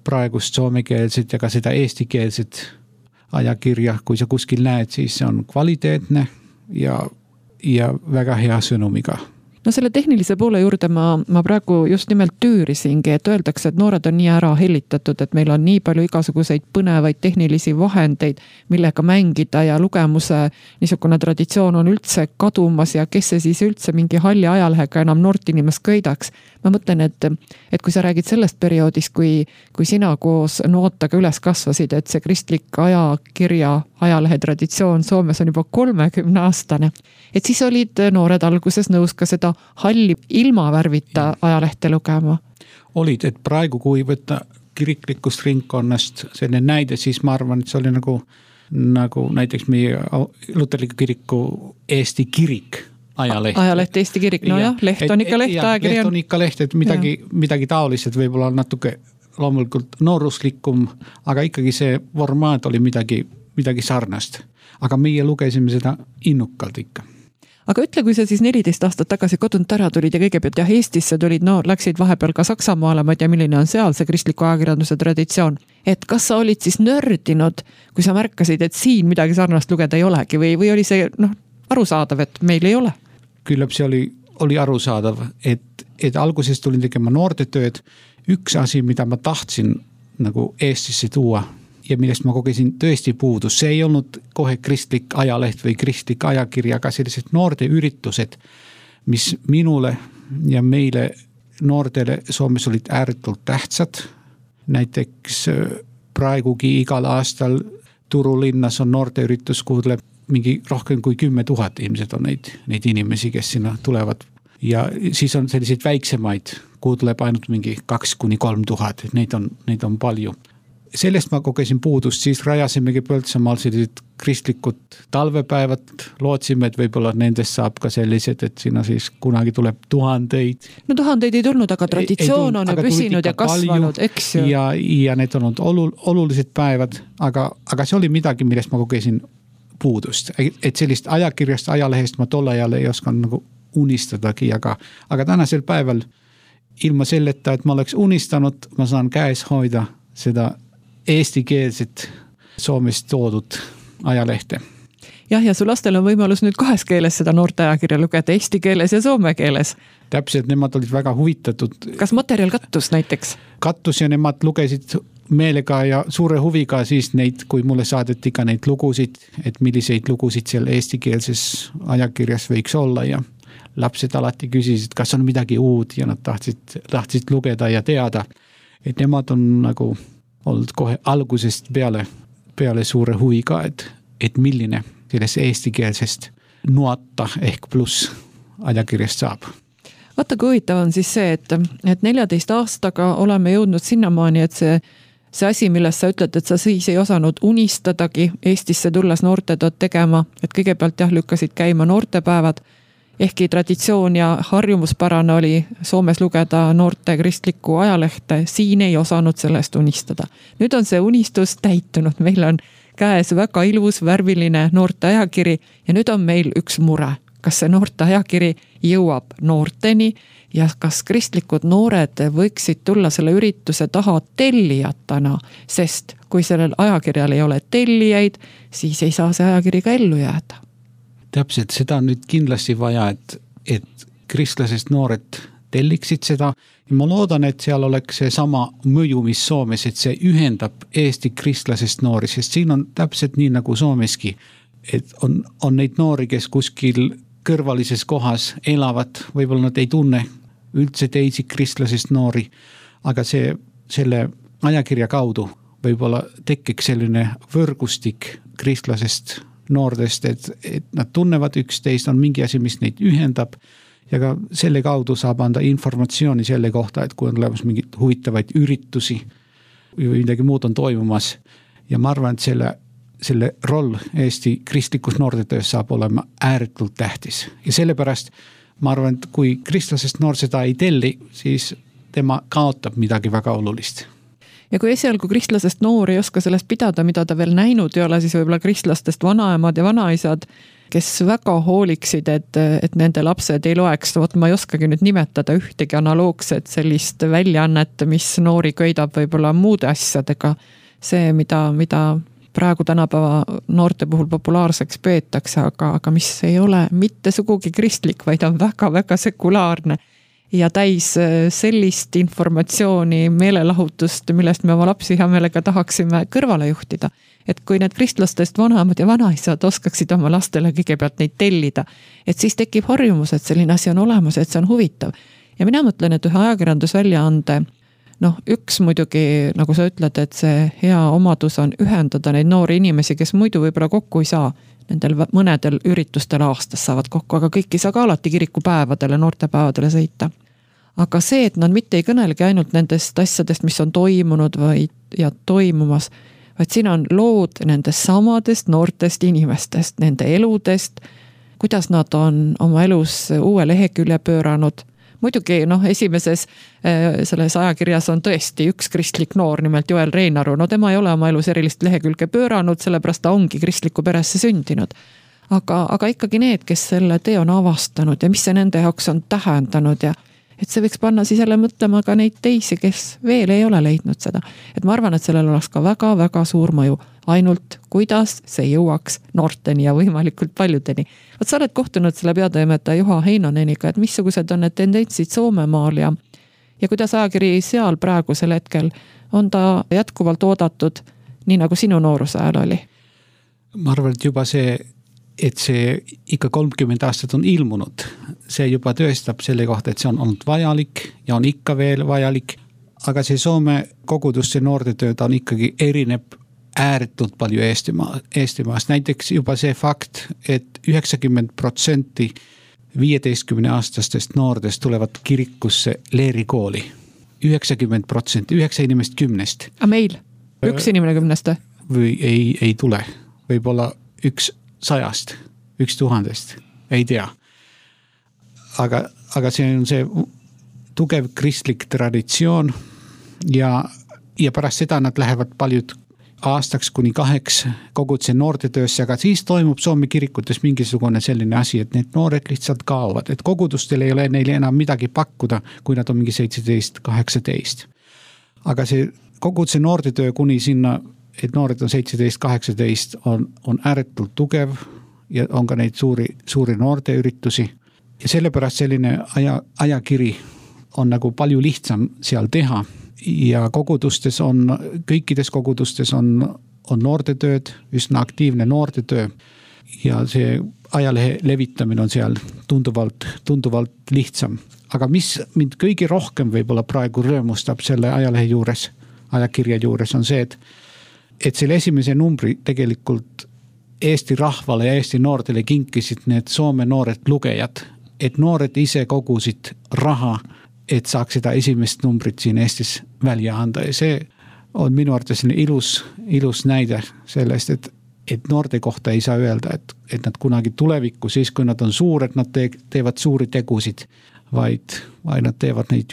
praegust soomekeelset ja ka seda eestikeelset ajakirja, kui sa kuskil näed, siis see on kvaliteetne ja väga hea sõnumiga. No selle tehnilise poole juurde ma praegu just nimelt tüürisingi, et öeldakse, et noored on nii ära hellitatud, et meil on nii palju igasuguseid põnevaid tehnilisi vahendeid, millega mängida ja lugemuse niisugune traditsioon on üldse kadumas ja kes see siis üldse mingi halli ajalehega enam noort inimest köidaks. Ma mõtlen, et kui sa räägid sellest perioodist, kui sina koos nootaga üles kasvasid, et see kristlik ajakirja ajalehe traditsioon Soomes on juba 30-aastane, et siis olid noored alguses nõus ka seda halli ilma värvita ajalehte lugema. Olid, et praegu kui võtta kiriklikust ringkonnast selline näide, siis ma arvan, et see oli nagu näiteks meie luterliku kiriku Eesti kirik ajaleht. Ajaleht Eesti kirik, no jah, leht on ikka leht, ajakiri on. Leht on ikka leht, et midagi taolised võib-olla natuke loomulikult nooruslikum, aga ikkagi see formaat oli midagi sarnast. Aga meie lugesime seda innukalt ikka. Aga ütle, kui sa siis 14 aastat tagasi kodunt ära tulid ja kõigepealt Eestisse tulid, läksid vahepeal ka Saksamaale, ma ei tea, milline on seal see kristliku ajakirjanduse traditsioon. Et kas sa olid siis nördinud, kui sa märkasid, et siin midagi sarnast lugeda ei olegi või oli see arusaadav, et meil ei ole? Küllap see oli arusaadav, et alguses tulin tegema noortetööd. Üks asi, mida ma tahtsin nagu Eestisse tuua ja millest ma kogesin tõesti puudus, see ei olnud kohe kristlik ajaleht või kristlik ajakirja, aga sellised noorte üritused, mis minule ja meile noortele Soomes olid ääretult tähtsad. Näiteks praegugi igal aastal Turu linnas on noorte üritus, kuhu tuleb mingi rohkem kui 10 000 ilmselt on neid inimesi, kes sinna tulevad. Ja siis on selliseid väiksemaid, kuhu tuleb ainult mingi 2-3 000, neid on palju. Sellest ma kogesin puudust, siis rajasimegi Põltsamaal sellised kristlikud talvepäevad, lootsime, et võib-olla nendest saab ka sellised, et sinna siis kunagi tuleb 1000. No 1000 ei tulnud, aga traditsioon on püsinud ja kasvanud, eks ju. Ja need on olnud olulised päevad, aga see oli midagi, millest ma kogesin puudust. Et sellist ajakirjast, ajalehest ma tolle ajal ei oskan nagu unistadagi, aga tänasel päeval ilma selleta, et ma oleks unistanud, ma saan käes hoida seda eestikeelset Soomest toodud ajalehte. Jah, ja su lastel on võimalus nüüd 2 keeles seda noorte ajakirja lugeda, eesti keeles ja soome keeles. Täpselt, nemad olid väga huvitatud. Kas materjal kattus näiteks? Kattus ja nemad lugesid meelega ja suure huviga siis neid, kui mulle saadeti ka neid lugusid, et milliseid lugusid seal eestikeelses ajakirjas võiks olla ja lapsed alati küsisid, kas on midagi uut ja nad tahtsid lugeda ja teada. Et nemad on nagu olnud kohe algusest peale suure huviga, et milline sellest eestikeelsest nuota ehk pluss ajakirjast saab. Vaata, kui huvitav on siis see, et 14 aastaga oleme jõudnud sinnamaani, et see asi, millest sa ütled, et sa siis ei osanud unistadagi Eestisse tulles noortetööd tegema, et kõigepealt lükkasid käima noortepäevad ehkki traditsioon ja harjumuspärane oli Soomes lugeda noorte kristlikku ajalehte, siin ei osanud sellest unistada. Nüüd on see unistus täitunud, meil on käes väga ilus värviline noorte ajakiri ja nüüd on meil üks mure. Kas see noorte ajakiri jõuab noorteni ja kas kristlikud noored võiksid tulla selle ürituse taha tellijatana, sest kui sellel ajakirjal ei ole tellijaid, siis ei saa see ajakiri ka ellu jääda. Täpselt, seda on nüüd kindlasti vaja, et kristlasest noored telliksid seda. Ja ma loodan, et seal oleks see sama mõju, mis Soomes, et see ühendab Eesti kristlasest noori, sest siin on täpselt nii nagu Soomeski, et on neid noori, kes kuskil kõrvalises kohas elavad, võib-olla nad ei tunne üldse teisi kristlasest noori, aga selle ajakirja kaudu võib-olla tekiks selline võrgustik kristlasest noordest, et nad tunnevad üksteist, on mingi asi, mis neid ühendab ja ka selle kaudu saab anda informatsiooni selle kohta, et kui on olemas mingid huvitavaid üritusi või midagi muud on toimumas. Ja ma arvan, et selle roll Eesti kristlikus noortetöös saab olema ääretult tähtis. Ja sellepärast ma arvan, et kui kristlasest noor seda ei telli, siis tema kaotab midagi väga olulist. Ja kui esialgu kristlasest noor ei oska sellest pidada, mida ta veel näinud ei ole, siis võib-olla kristlastest vanaemad ja vanaisad, kes väga hooliksid, et nende lapsed ei loeks, ma ei oskagi nüüd nimetada ühtegi analoogset sellist väljaannet, mis noori köidab võib-olla muude asjadega. See, mida praegu tänapäeva noorte puhul populaarseks peetakse, aga mis ei ole mitte sugugi kristlik, vaid on väga-väga sekulaarne ja täis sellist informatsiooni, meelelahutust, millest me oma lapsi hea meelega tahaksime kõrvale juhtida. Et kui need kristlastest vanaemad ja vanaisad oskaksid oma lastele kõigepealt neid tellida, et siis tekib harjumus, et selline asi on olemas, et see on huvitav. Ja mina mõtlen, et ühe ajakirjandusväljaande, üks muidugi, nagu sa ütled, et see hea omadus on ühendada neid noori inimesi, kes muidu võib-olla kokku ei saa, nendel mõnedel üritustel aastas saavad kokku, aga kõik ei saa ka alati kirikupäevadele, noortepäevadele sõita. Aga see, et nad mitte ei kõnelegi ainult nendest asjadest, mis on toimunud ja toimumas, vaid siin on lood nendest samadest noortest inimestest, nende eludest, kuidas nad on oma elus uue lehekülje pööranud. Muidugi esimeses selles ajakirjas on tõesti üks kristlik noor, nimelt Joel Reinaru. Tema ei ole oma elus erilist lehekülge pööranud, sellepärast ta ongi kristliku peresse sündinud. Aga ikkagi need, kes selle tee on avastanud ja mis see nende jaoks on tähendanud ja et see võiks panna siis jälle mõtlema ka neid teisi, kes veel ei ole leidnud seda. Et ma arvan, et sellel oleks ka väga-väga suur mõju. Ainult kuidas see jõuaks noorteni ja võimalikult paljudeni. Võt sa oled kohtunud selle peatoimetaja Juha Heinoneniga, et missugused on need tendentsid Soomemaal ja kuidas ajakiri seal praegusel hetkel on ta jätkuvalt oodatud, nii nagu sinu nooruse ajal oli? Ma arvan, et juba et see ikka 30 aastat on ilmunud, see juba tõestab selle kohta, et see on olnud vajalik ja on ikka veel vajalik, aga see Soome koguduste noortetööd on ikkagi erineb ääretult palju Eestimaast. Näiteks juba see fakt, et 90% 15-aastastest noordest tulevad kirikusse leerikooli. 90%, 9 inimest 10. A meil? Üks inimene 10? Või ei tule. Võib-olla 100, 1000, ei tea. Aga see on see tugev kristlik traditsioon ja pärast seda nad lähevad paljud aastaks kuni 2 koguduse noortetöösse, aga siis toimub Soome kirikutes mingisugune selline asi, et need noored lihtsalt kaovad, et kogudustel ei ole neile enam midagi pakkuda, kui nad on mingi 17, 18. Aga see koguduse noortetöö kuni sinna, et noored on 17, 18, on ääretult tugev ja on ka neid suuri noorteüritusi. Ja sellepärast selline ajakiri on nagu palju lihtsam seal teha. Ja kõikides kogudustes on noortetööd, üsna aktiivne noortetöö ja see ajalehe levitamine on seal tunduvalt lihtsam. Aga mis mind kõige rohkem võib-olla praegu rõõmustab selle ajalehe juures, ajakirja juures on see, et selle esimese numbri tegelikult Eesti rahvale ja Eesti noortele kinkisid need Soome noored lugejad, et noored ise kogusid raha, et saaks seda esimest numbrit siin Eestis välja anda ja see on minu arvates ilus näide sellest, et noorte kohta ei saa öelda, et nad kunagi tulevikku, siis kui nad on suured, nad teevad suuri tegusid, vaid nad teevad neid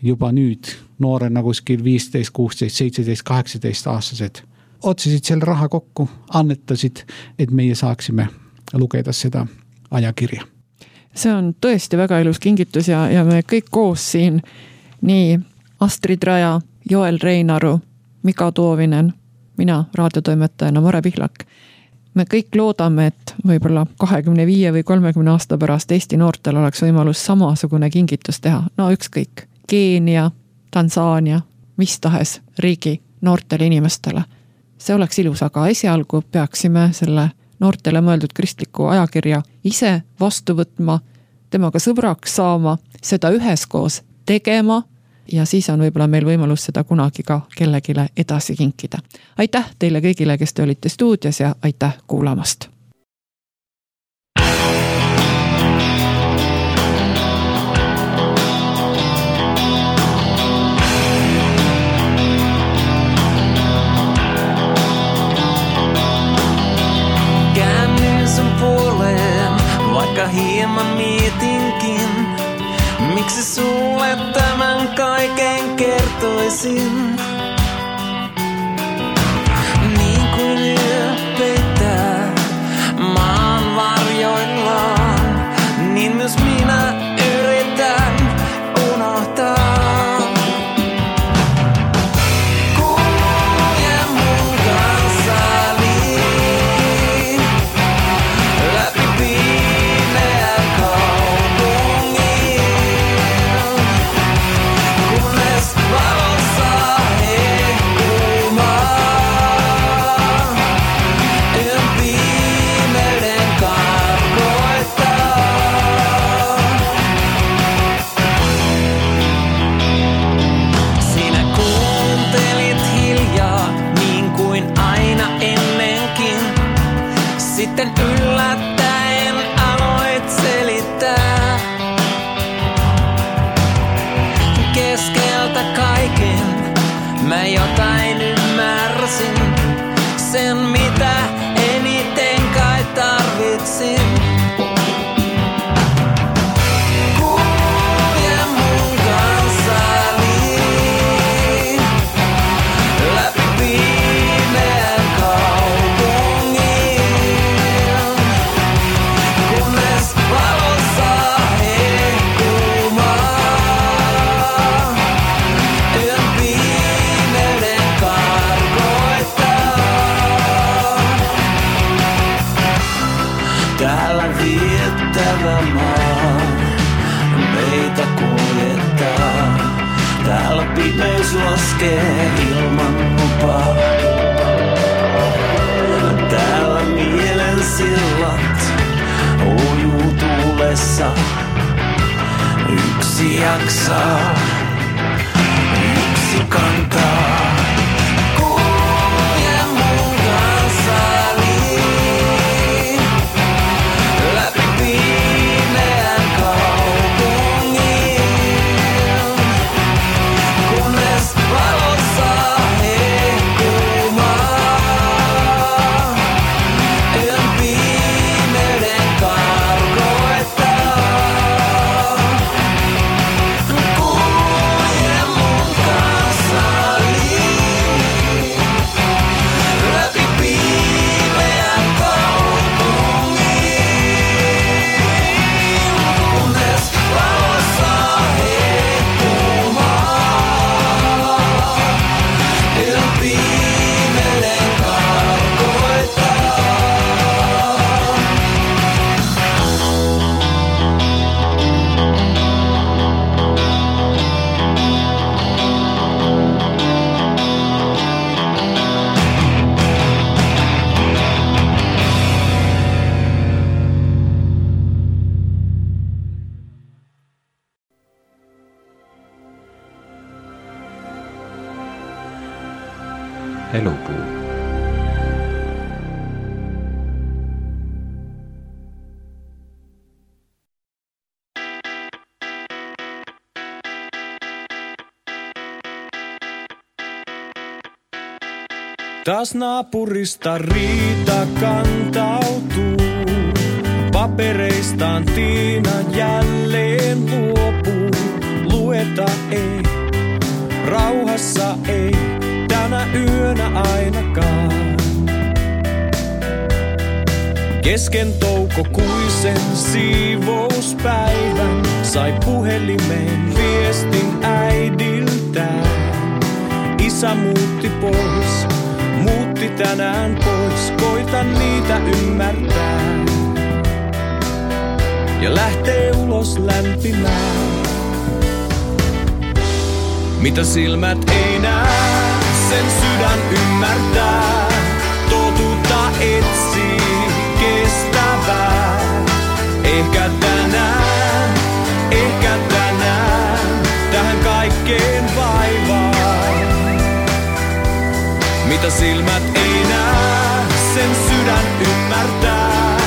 juba nüüd noorena kuskil 15, 16, 17, 18 aastased. Otsisid selle raha kokku, annetasid, et meie saaksime lugeda seda ajakirja. See on tõesti väga ilus kingitus ja me kõik koos siin, nii Astrid Raja, Joel Reinaru, Mika Toovinen, mina raadiotoimetajana Mare Pihlak. Me kõik loodame, et võib-olla 25 või 30 aasta pärast Eesti noortel oleks võimalus samasugune kingitus teha. No ükskõik, Keenia, Tansaania, mis tahes riigi noortele inimestele. See oleks ilus, aga esialgu peaksime selle noortele mõeldud kristliku ajakirja ise vastu võtma, temaga sõbraks saama, seda üheskoos tegema ja siis on võib-olla meil võimalus seda kunagi ka kellegile edasi kinkida. Aitäh teile kõigile, kes te olite stuudios ja aitäh kuulamast! Käännyin sun puoleen, vaikka hieman mietinkin, miksi sulle tämän kaiken kertoisin. Niin kuin yö peittää maan varjoillaan, niin myös minä yritän unohtaa. Kulje mun kanssani läpi pimeän kaupungin, kunnes valo saa hehkumaan. Yön pimeyden karkoittaa. Sinä kuuntelit hiljaa niin kuin aina ennenkin. Sitten yllättäen aloit selittää. Keskeltä kaiken mä jotain ymmärsin. Sen mitä eniten kai tarvitsin. Kulje mun kanssani läpi pimeän kaupungin, kunnes valo saa hehkumaan. Yön pimeyden karkoittaa. Täällä viettävä maa meitä kuljettaa. Täällä pimeys laskee ilman lupaa. Täällä mielen sillat ujuu tuulessa. Yksi jaksaa, yksi kantaa. Kulje mun kanssani läpi pimeän kaupungin, kunnes valo saa hehkumaan. Yön pimeyden karkoittaa. Kulje mun kanssani läpi pimeän kaupungin, kunnes valo saa hehkumaan. Yön pimeyden karkoittaa. Elupuu. Taas naapurista riita kantautuu. Papereistaan Tiina jälleen luopuu. Lueta ei, rauhassa ei, tänä yönä ainakaan. Kesken toukokuisen siivouspäivän sai puhelimeen viestin äidiltään. Isä muutti pois, muutti tänään pois, koitan niitä ymmärtää. Ja lähtee ulos lämpimään. Mitä silmät ei näe, sen sydän ymmärtää. Totuutta etsii kestävää. Ehkä tänään, tähän kaikkeen vaivaan. Mitä silmät ei näe, sen sydän ymmärtää.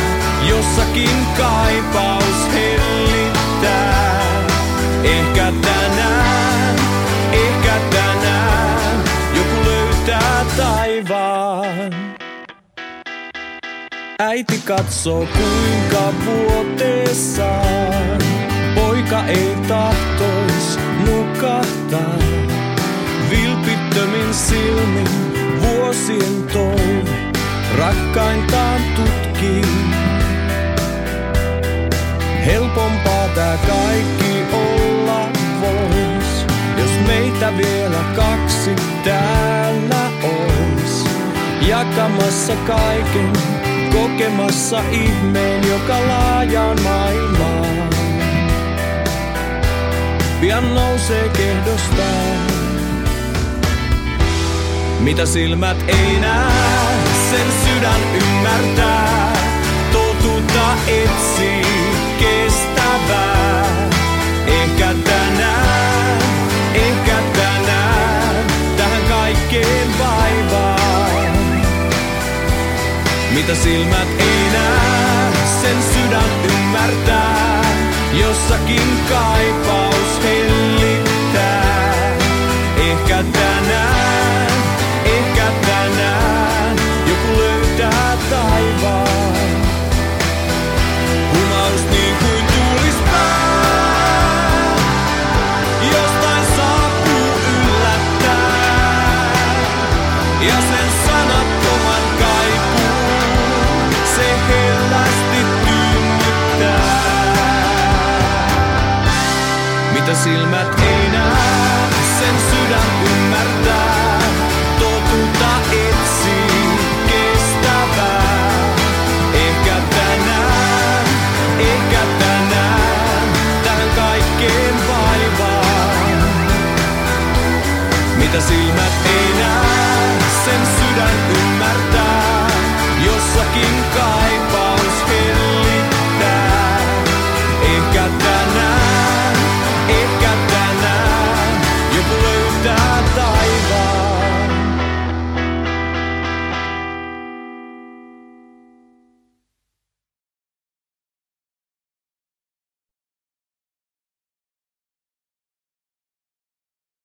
Jossakin kaipaus hellittää. Ehkä tänään, joku löytää taivaan. Äiti katsoo kuinka vuoteessaan poika ei tahtois nukahtaa. Vilpittömin silmin vuosien toive rakkaintaan tutkii. Helpompaa tää kaikki olla vois, jos meitä vielä kaksi täällä ois. Jakamassa kaiken, kokemassa ihmeen, joka laajaan maailmaan pian nousee kehdostaan. Mitä silmät ei näe, sen sydän ymmärtää. Totuutta etsii kestävää. Ehkä tänään, tähän kaikkeen vaivaan. Mitä silmät ei näe, sen sydän ymmärtää. Jossakin kaipaus hellittää. Ehkä tänään, joku löytää taivaan. Humaus niin kuin tuulis pää, jostain saapuu yllättää. Ja sen sanattoman kaipuun se hellästi tynnyttää. Mitä silmät ei näe, sen sydän ymmärtää. Totuutta etsii kestävää. Ehkä tänään, tähän kaikkeen vaivaan. Mitä silmät